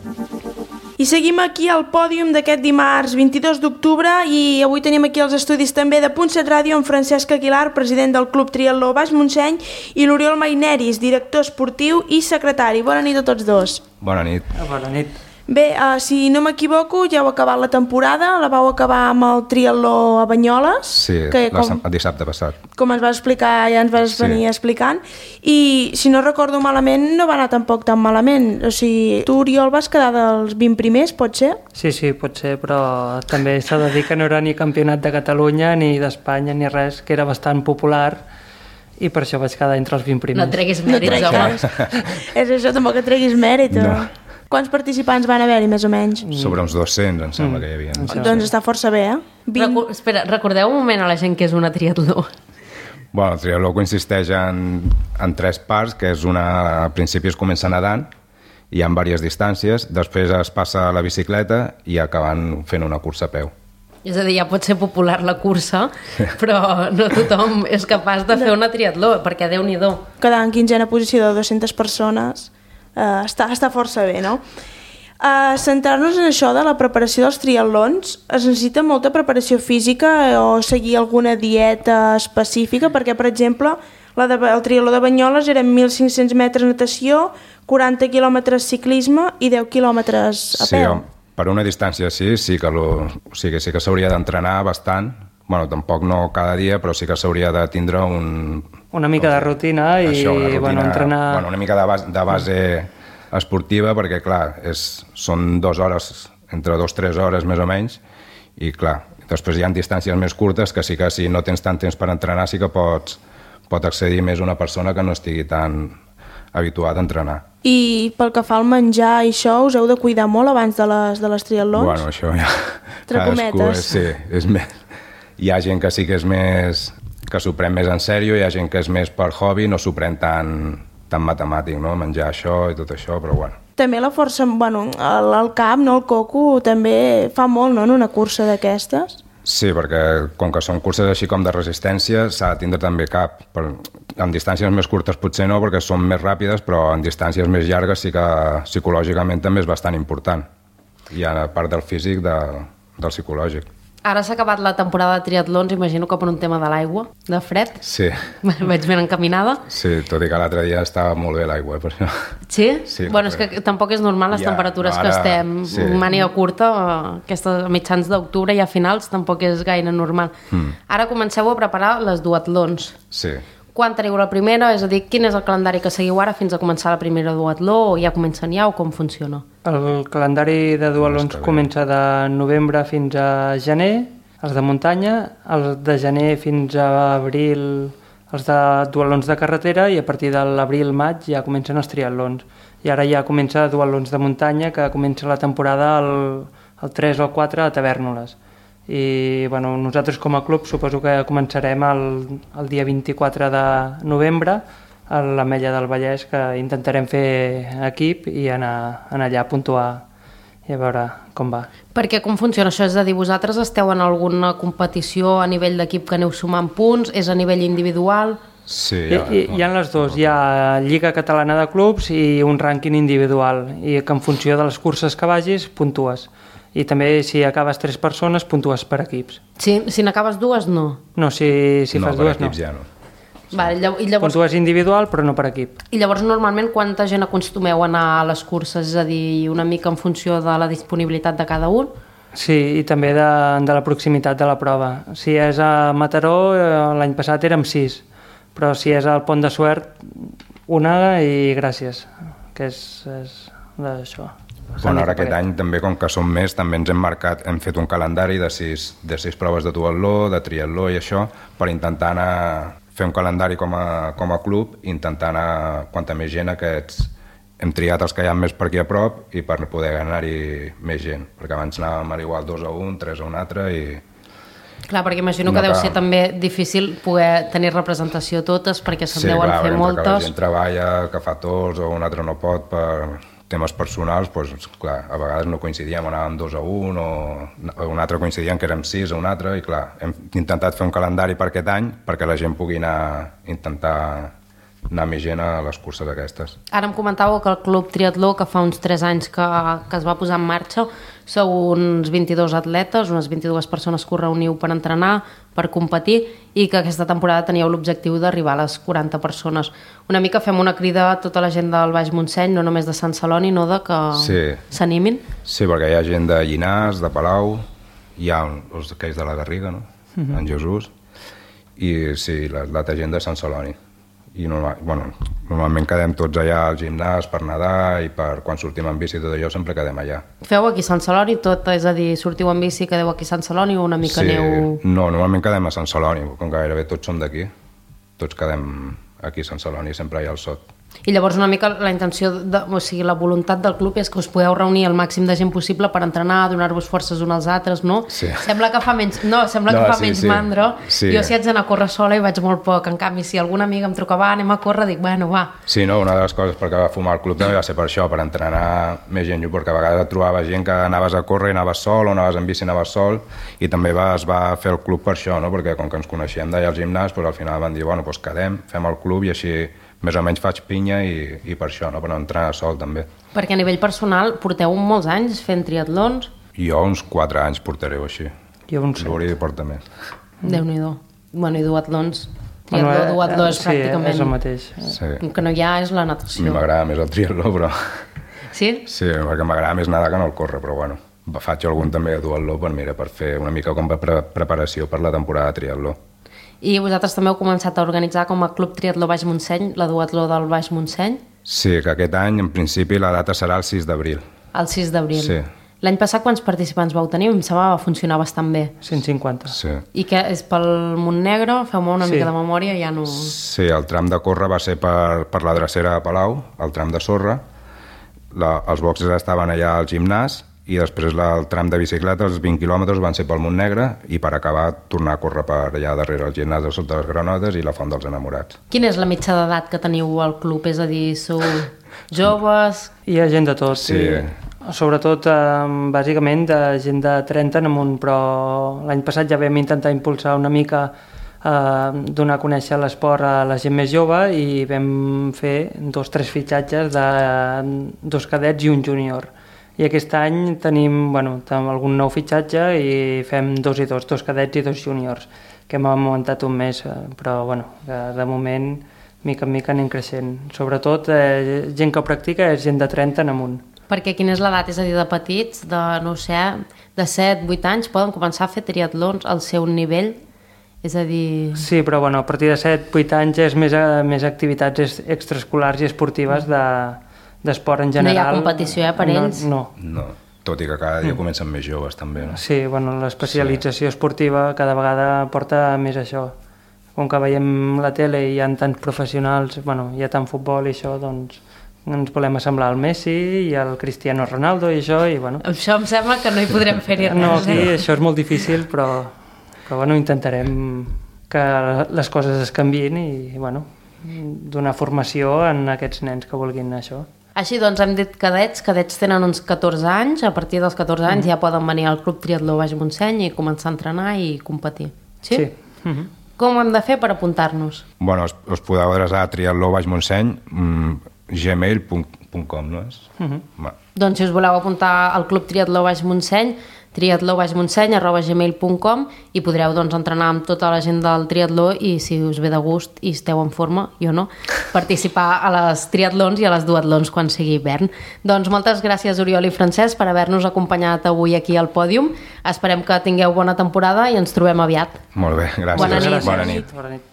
I seguim aquí al pòdium d'aquest dimarts vint-i-dos d'octubre i avui tenim aquí els estudis també de Punt set Ràdio amb Francesc Aguilar, president del Club Triatló Baix Montseny, i l'Oriol Maineris, director esportiu i secretari. Bona nit a tots dos. Bona nit. Bona nit. Bé, uh, si no m'equivoco, ja heu acabat la temporada, la vau acabar amb el triatló a Banyoles. Sí, que, com, el dissabte passat. Com ens vas explicar, ja ens vas sí. venir explicant. I, si no recordo malament, no va anar tampoc tan malament. O sigui, tu, Oriol, vas quedar dels vint primers, pot ser? Sí, sí, pot ser, però també s'ha de dir que no era ni campionat de Catalunya, ni d'Espanya, ni res, que era bastant popular, i per això vaig quedar entre els vint primers. No treguis mèrits, no home. És això, tampoc que treguis mèrit. No. Quants participants van haver-hi, més o menys? Sobre uns dos-cents, em sembla mm. que hi havia. Sí. Doncs està força bé, eh? vint... Recu espera, recordeu un moment a la gent que és una triatló. Bueno, el triatló consisteix en, en tres parts, que és una... Al principi es comença nedant, hi ha diverses distàncies, després es passa a la bicicleta i acaben fent una cursa a peu. És a dir, ja pot ser popular la cursa, però no tothom és capaç de fer una triatló, perquè Déu-n'hi-do. Quedar en quinzena posició de dues-centes persones... Uh, està, està força bé, no? Uh, centrar-nos en això de la preparació dels triatlons, es necessita molta preparació física o seguir alguna dieta específica, perquè, per exemple, la de, el triatló de Banyoles eren mil cinc-cents metres natació, quaranta quilòmetres ciclisme i deu quilòmetres a peu. Sí, per una distància sí, sí que, lo, o sigui, sí que s'hauria d'entrenar bastant. Bueno, tampoc no cada dia, però sí que s'hauria de tindre un... Una mica de rutina i això, una, rutina, bueno, entrenar... Bueno, una mica de base, de base esportiva, perquè, clar, és, són dues hores, entre dues o tres hores més o menys, i, clar, després hi ha distàncies més curtes que sí que si no tens tant temps per entrenar sí que pots, pot accedir més una persona que no estigui tan habituada a entrenar. I pel que fa al menjar i això, us heu de cuidar molt abans de les, de les triatlons? Bueno, això ja... Cadascú és, sí, és més... Hi ha gent que sí que és més... que s'ho pren més en sèrio, hi ha gent que és més per hobby, no s'ho pren tan, tan matemàtic, no? Menjar això i tot això, però bueno. També la força, bueno, el, el cap, no, el coco, també fa molt, no?, en una cursa d'aquestes. Sí, perquè com que són curses així com de resistència, s'ha de tindre també cap. Per, en distàncies més curtes potser no, perquè són més ràpides, però en distàncies més llargues sí que psicològicament també és bastant important. Hi ha part del físic de, del psicològic. Ara s'ha acabat la temporada de triatlons, imagino que per un tema de l'aigua, de fred. Sí. Vaig ben encaminada. Sí, tot i que l'altre dia estava molt bé l'aigua, per això. Sí? Sí. Bueno, és que tampoc és normal les ja, temperatures no, ara, que estem sí. màniga curta, aquestes mitjans d'octubre i a finals tampoc és gaire normal. Mm. Ara comenceu a preparar les duatlons. Sí. Quan teniu la primera? És a dir, quin és el calendari que seguiu ara fins a començar la primera duatló, o ja comencen ja, o com funciona? El calendari de duatlons comença de novembre fins a gener, els de muntanya, els de gener fins a abril, els de duatlons de carretera, i a partir de l'abril-maig ja comencen els triatlons. I ara ja comença duatlons de muntanya, que comença la temporada el, el tres o el quatre a Tavèrnoles. I bueno, nosaltres com a club suposo que començarem el, el dia vint-i-quatre de novembre a l'Ametlla del Vallès, que intentarem fer equip i anar, anar allà a puntuar i a veure com va. Perquè com funciona això? És a dir, vosaltres esteu en alguna competició a nivell d'equip que aneu sumant punts? És a nivell individual? Sí, ja, hi, hi ha les dues. Hi ha Lliga Catalana de Clubs i un rànquing individual, i que en funció de les curses que vagis puntues. I també si acabes tres persones puntues per equips. Sí, si n'acabes dues, no? No, si, si no, fas per dues, equips no. ja no. Vale, i llavors... Puntues individual, però no per equip. I llavors, normalment, quanta gent acostumeu a anar a les curses? És a dir, una mica en funció de la disponibilitat de cada un? Sí, i també de, de la proximitat de la prova. Si és a Mataró, l'any passat érem sis, però si és al Pont de Suert, una i gràcies, que és, és d'això. Bueno, ara aquest any també, com que som més, també ens hem marcat, hem fet un calendari de sis, de sis proves de duatló, de triatló i això, per intentar anar, fer un calendari com a, com a club, intentar anar, quanta més gent aquests, hem triat els que hi ha més per aquí a prop i per poder anar-hi més gent, perquè abans anàvem a igual dos a un, tres a un altre i... Clar, perquè imagino que no deu cal. ser també difícil poder tenir representació totes, perquè se'n sí, deuen clar, fer moltes. Sí, la gent treballa, que fa tots o un altre no pot per temes personals, doncs, clar, a vegades no coincidíem, anàvem dos a un o un altre coincidíem que érem sis a un altre i clar, hem intentat fer un calendari per aquest any perquè la gent pugui anar, intentar anar més gent a les curses aquestes. Ara em comentàveu que el Club Triatló, que fa uns tres anys que, que es va posar en marxa, sou uns vint-i-dos atletes, unes vint-i-dues persones que us reuniu per entrenar, per competir, i que aquesta temporada teníeu l'objectiu d'arribar a les quaranta persones. Una mica fem una crida a tota la gent del Baix Montseny, no només de Sant Celoni, no de que s'animin. Sí. sí, perquè hi ha gent de Llinars, de Palau, hi ha els aquells de la Garriga, no? Uh-huh. En Jesús, i sí, l'altra gent de Sant Celoni. I normal, bueno, normalment quedem tots allà al gimnàs per nedar i per quan sortim en bici i tot allò sempre quedem allà. Feu aquí a Sant Celoni tot? És a dir, sortiu en bici, quedeu aquí a Sant Celoni o una mica sí, aneu... No, normalment quedem a Sant Celoni, com gairebé tots som d'aquí. Tots quedem aquí a Sant Celoni, sempre hi ha el sot. I llavors una mica la intenció, de, o sigui, la voluntat del club és que us podeu reunir el màxim de gent possible per entrenar, donar-vos forces uns als altres, no? Sí. Sembla que fa menys, no, sembla no, que fa sí, menys sí. mandra. Sí. Jo si haig d'anar a córrer sola i vaig molt poc. En canvi, si alguna amiga em truca, va, anem a córrer, dic, bueno, va. Sí, no, una de les coses perquè va fumar el club també va ser per això, per entrenar més gent, perquè a vegades et trobava gent que anaves a córrer i anaves sol, o anaves en bici i anaves sol, i també va, es va fer el club per això, no? Perquè com que ens coneixíem d'allà al gimnàs, doncs al final van dir, bueno, doncs quedem, fem el club i així més o menys faig pinya i, i per això, no? Per no entrenar sol també. Perquè a nivell personal porteu molts anys fent triatlons? Jo uns quatre anys portaré així. Jo uns L'Uri porta més. Déu-n'hi-do. Bueno, i duatlons. Triatló, bueno, duatló és sí, pràcticament... Sí, és el mateix. Sí. El que no hi ha és la natació. A mi m'agrada més el triatló, però... Sí? Sí, perquè m'agrada més nedar que no el córrer, però bueno. Faig algun també de duatló per, mira, per fer una mica com a pre preparació per la temporada de triatló. I vosaltres també heu començat a organitzar com a Club Triatló Baix Montseny, la duatló del Baix Montseny? Sí, que aquest any, en principi, la data serà el sis d'abril. El sis d'abril. Sí. L'any passat quants participants vau tenir? Em semblava que va funcionar bastant bé. cent cinquanta. Sí. I què, és pel Montnegre? Feu-me una sí. mica de memòria, ja no... Sí, el tram de córrer va ser per, per la drecera de Palau, el tram de sorra, la, els boxes estaven allà al gimnàs, i després la, el tram de bicicleta, els vint quilòmetres van ser pel Montnegre i per acabar tornar a córrer per allà darrere el gimnàs de Sota les Granotes i la Font dels Enamorats. Quina és la mitja d'edat que teniu al club? És a dir, sou joves? Hi ha gent de tot, sí. I sobretot, eh, bàsicament, de gent de trenta en amunt, però l'any passat ja vam intentar impulsar una mica eh, donar a conèixer l'esport a la gent més jove i vam fer dos o tres fitxatges de dos cadets i un júnior. I aquest any tenim, bueno, algun nou fitxatge i fem dos i dos, dos cadets i dos júniors, que hem augmentat un mes, però bueno, de moment, mica en mica anem creixent. Sobretot, eh, gent que practica és gent de trenta en amunt. Perquè quina és l'edat? És a dir, de petits, de, no sé, de set, vuit anys, poden començar a fer triatlons al seu nivell? És a dir... Sí, però bueno, a partir de set, vuit anys és més, més activitats extraescolars i esportives de... d'esport en general. No hi ha competició, eh, per ells? No, no. No, tot i que cada dia comencen més joves, també. No? Sí, bueno, l'especialització sí. esportiva cada vegada porta més això. Com que veiem la tele i hi ha tants professionals, bueno, hi ha tant futbol i això, doncs ens volem assemblar al Messi i al Cristiano Ronaldo i això, i bueno... Això em sembla que no hi podrem fer-hi res. No, aquí eh? això és molt difícil, però, però bueno, intentarem que les coses es canviïn i, bueno, donar formació en aquests nens que vulguin això. Així doncs, hem dit cadets, cadets tenen uns catorze anys, a partir dels catorze anys mm. ja poden venir al Club Triatló Baix Montseny i començar a entrenar i competir. Sí? Sí. Mm-hmm. Com ho hem de fer per apuntar-nos? Bueno, us, us podeu adreçar a triatló baix montseny, mm, gmail punt punt com, no és? Uh-huh. Doncs si us voleu apuntar al Club Triatló Baix Montseny, triatló baix montseny arroba gmail punt com, i podreu doncs, entrenar amb tota la gent del triatló i si us ve de gust i esteu en forma, jo no, participar a les triatlons i a les duatlons quan sigui hivern. Doncs moltes gràcies Oriol i Francesc per haver-nos acompanyat avui aquí al pòdium. Esperem que tingueu bona temporada i ens trobem aviat. Molt bé, gràcies. Bona nit. Bona nit. Bona nit.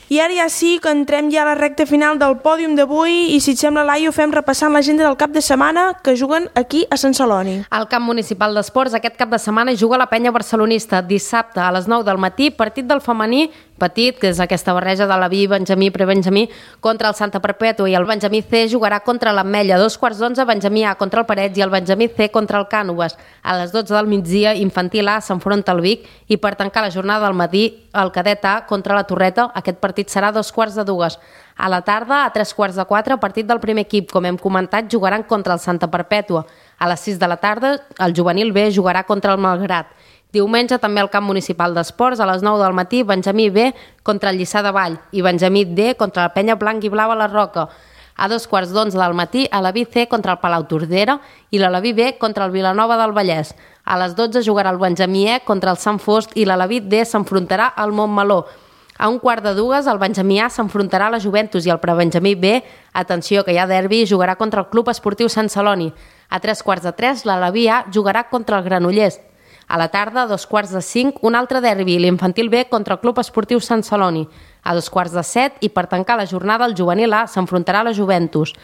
I ara ja sí que entrem ja a la recta final del pòdium d'avui i si et sembla, Laia, ho fem repassant l'agenda del cap de setmana que juguen aquí a Sant Celoni. Al camp municipal d'esports aquest cap de setmana juga la penya barcelonista. Dissabte a les nou del matí, partit del femení petit, que és aquesta barreja de la B, Benjamí, Prebenjamí, contra el Santa Perpètua, i el Benjamí C jugarà contra l'Ametlla. A dos quarts d'onze, Benjamí A contra el Parets i el Benjamí C contra el Cànoves. A les dotze del migdia, Infantil A s'enfronta al Vic i per tancar la jornada del matí, el Cadet A contra la Torreta. Aquest partit serà a dos quarts de dues. A la tarda, a tres quarts de quatre, partit del primer equip. Com hem comentat, jugaran contra el Santa Perpètua. A les sis de la tarda, el Juvenil B jugarà contra el Malgrat. Diumenge també al camp municipal d'esports, a les nou del matí, Benjamí B contra el Lliçà de Vall i Benjamí D contra la Penya Blanc i Blau a la Roca. A dos quarts d'onze del matí, a la B C contra el Palau Tordera i la Laví B contra el Vilanova del Vallès. A les dotze jugarà el Benjamí E contra el Sant Fost i la Laví D s'enfrontarà al Montmeló. A un quart de dues, el Benjamí A s'enfrontarà a la Juventus i el Prebenjamí B, atenció que hi ha derbi, jugarà contra el Club Esportiu Sant Celoni. A tres quarts de tres, la Laví A jugarà contra el Granollers. A la tarda, a dos quarts de cinc, un altre derbi, l'Infantil B contra el Club Esportiu Sant Celoni. A dos quarts de set, i per tancar la jornada, el Juvenil A s'enfrontarà a la Juventus.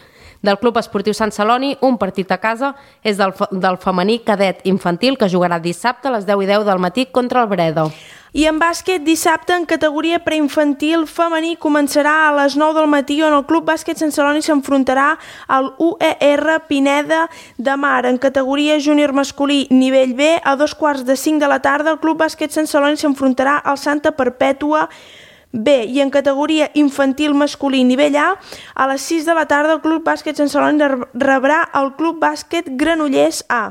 Del Club Esportiu Sant Celoni, un partit a casa és del, del femení cadet infantil que jugarà dissabte a les deu i deu del matí contra el Breda. I en bàsquet, dissabte, en categoria preinfantil femení, començarà a les nou del matí on el Club Bàsquet Sant Celoni s'enfrontarà al U E R Pineda de Mar. En categoria júnior masculí nivell B, a dos quarts de cinc de la tarda, el Club Bàsquet Sant Celoni s'enfrontarà al Santa Perpètua B, i en categoria infantil masculí nivell A, a les sis de la tarda el Club Bàsquet Sant Celoni rebrà el Club Bàsquet Granollers A.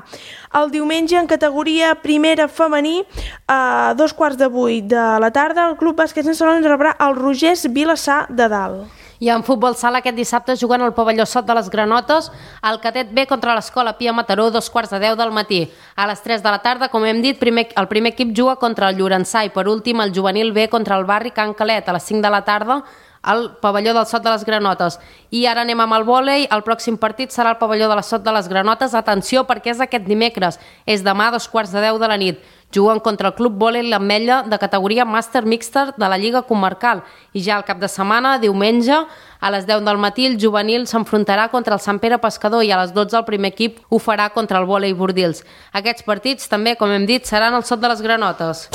El diumenge, en categoria primera femení, a dos quarts de vuit de la tarda, el Club Bàsquet Sant Celoni rebrà el Rogers Vilassar de Dalt. I en futbol sala aquest dissabte juguen al pavelló Sot de les Granotes el cadet B contra l'Escola Pia Mataró, dos quarts de deu del matí. A les tres de la tarda, com hem dit, primer, el primer equip juga contra el Llorençà i per últim el juvenil B contra el barri Can Calet. A les cinc de la tarda al pavelló del Sot de les Granotes. I ara anem amb el vòlei. El pròxim partit serà el pavelló de la Sot de les Granotes. Atenció, perquè és aquest dimecres. És demà a dos quarts de deu de la nit. Juguen contra el Club Vòlei l'Ametlla de categoria Màster Mixta de la Lliga Comarcal. I ja al cap de setmana, diumenge, a les deu del matí, el juvenil s'enfrontarà contra el Sant Pere Pescador i a les dotze el primer equip ho farà contra el Vòlei Bordils. Aquests partits també, com hem dit, seran al Sot de les Granotes.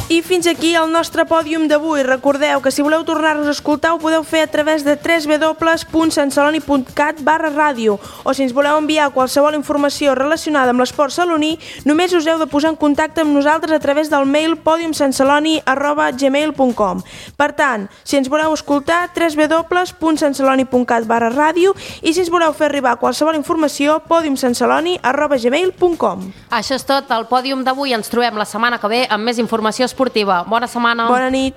I fins aquí el nostre pòdium d'avui. Recordeu que si voleu tornar-nos a escoltar ho podeu fer a través de w w w punt santceloni punt cat barra ràdio o si ens voleu enviar qualsevol informació relacionada amb l'esport celoní només us heu de posar en contacte amb nosaltres a través del mail podium santceloni arroba gmail punt com. Per tant, si ens voleu escoltar, w w w punt santceloni punt cat barra ràdio i si ens voleu fer arribar qualsevol informació, podium santceloni arroba gmail punt com. Això és tot, el pòdium d'avui. Ens trobem la setmana que ve amb més informació esportiva. Bona setmana. Bona nit.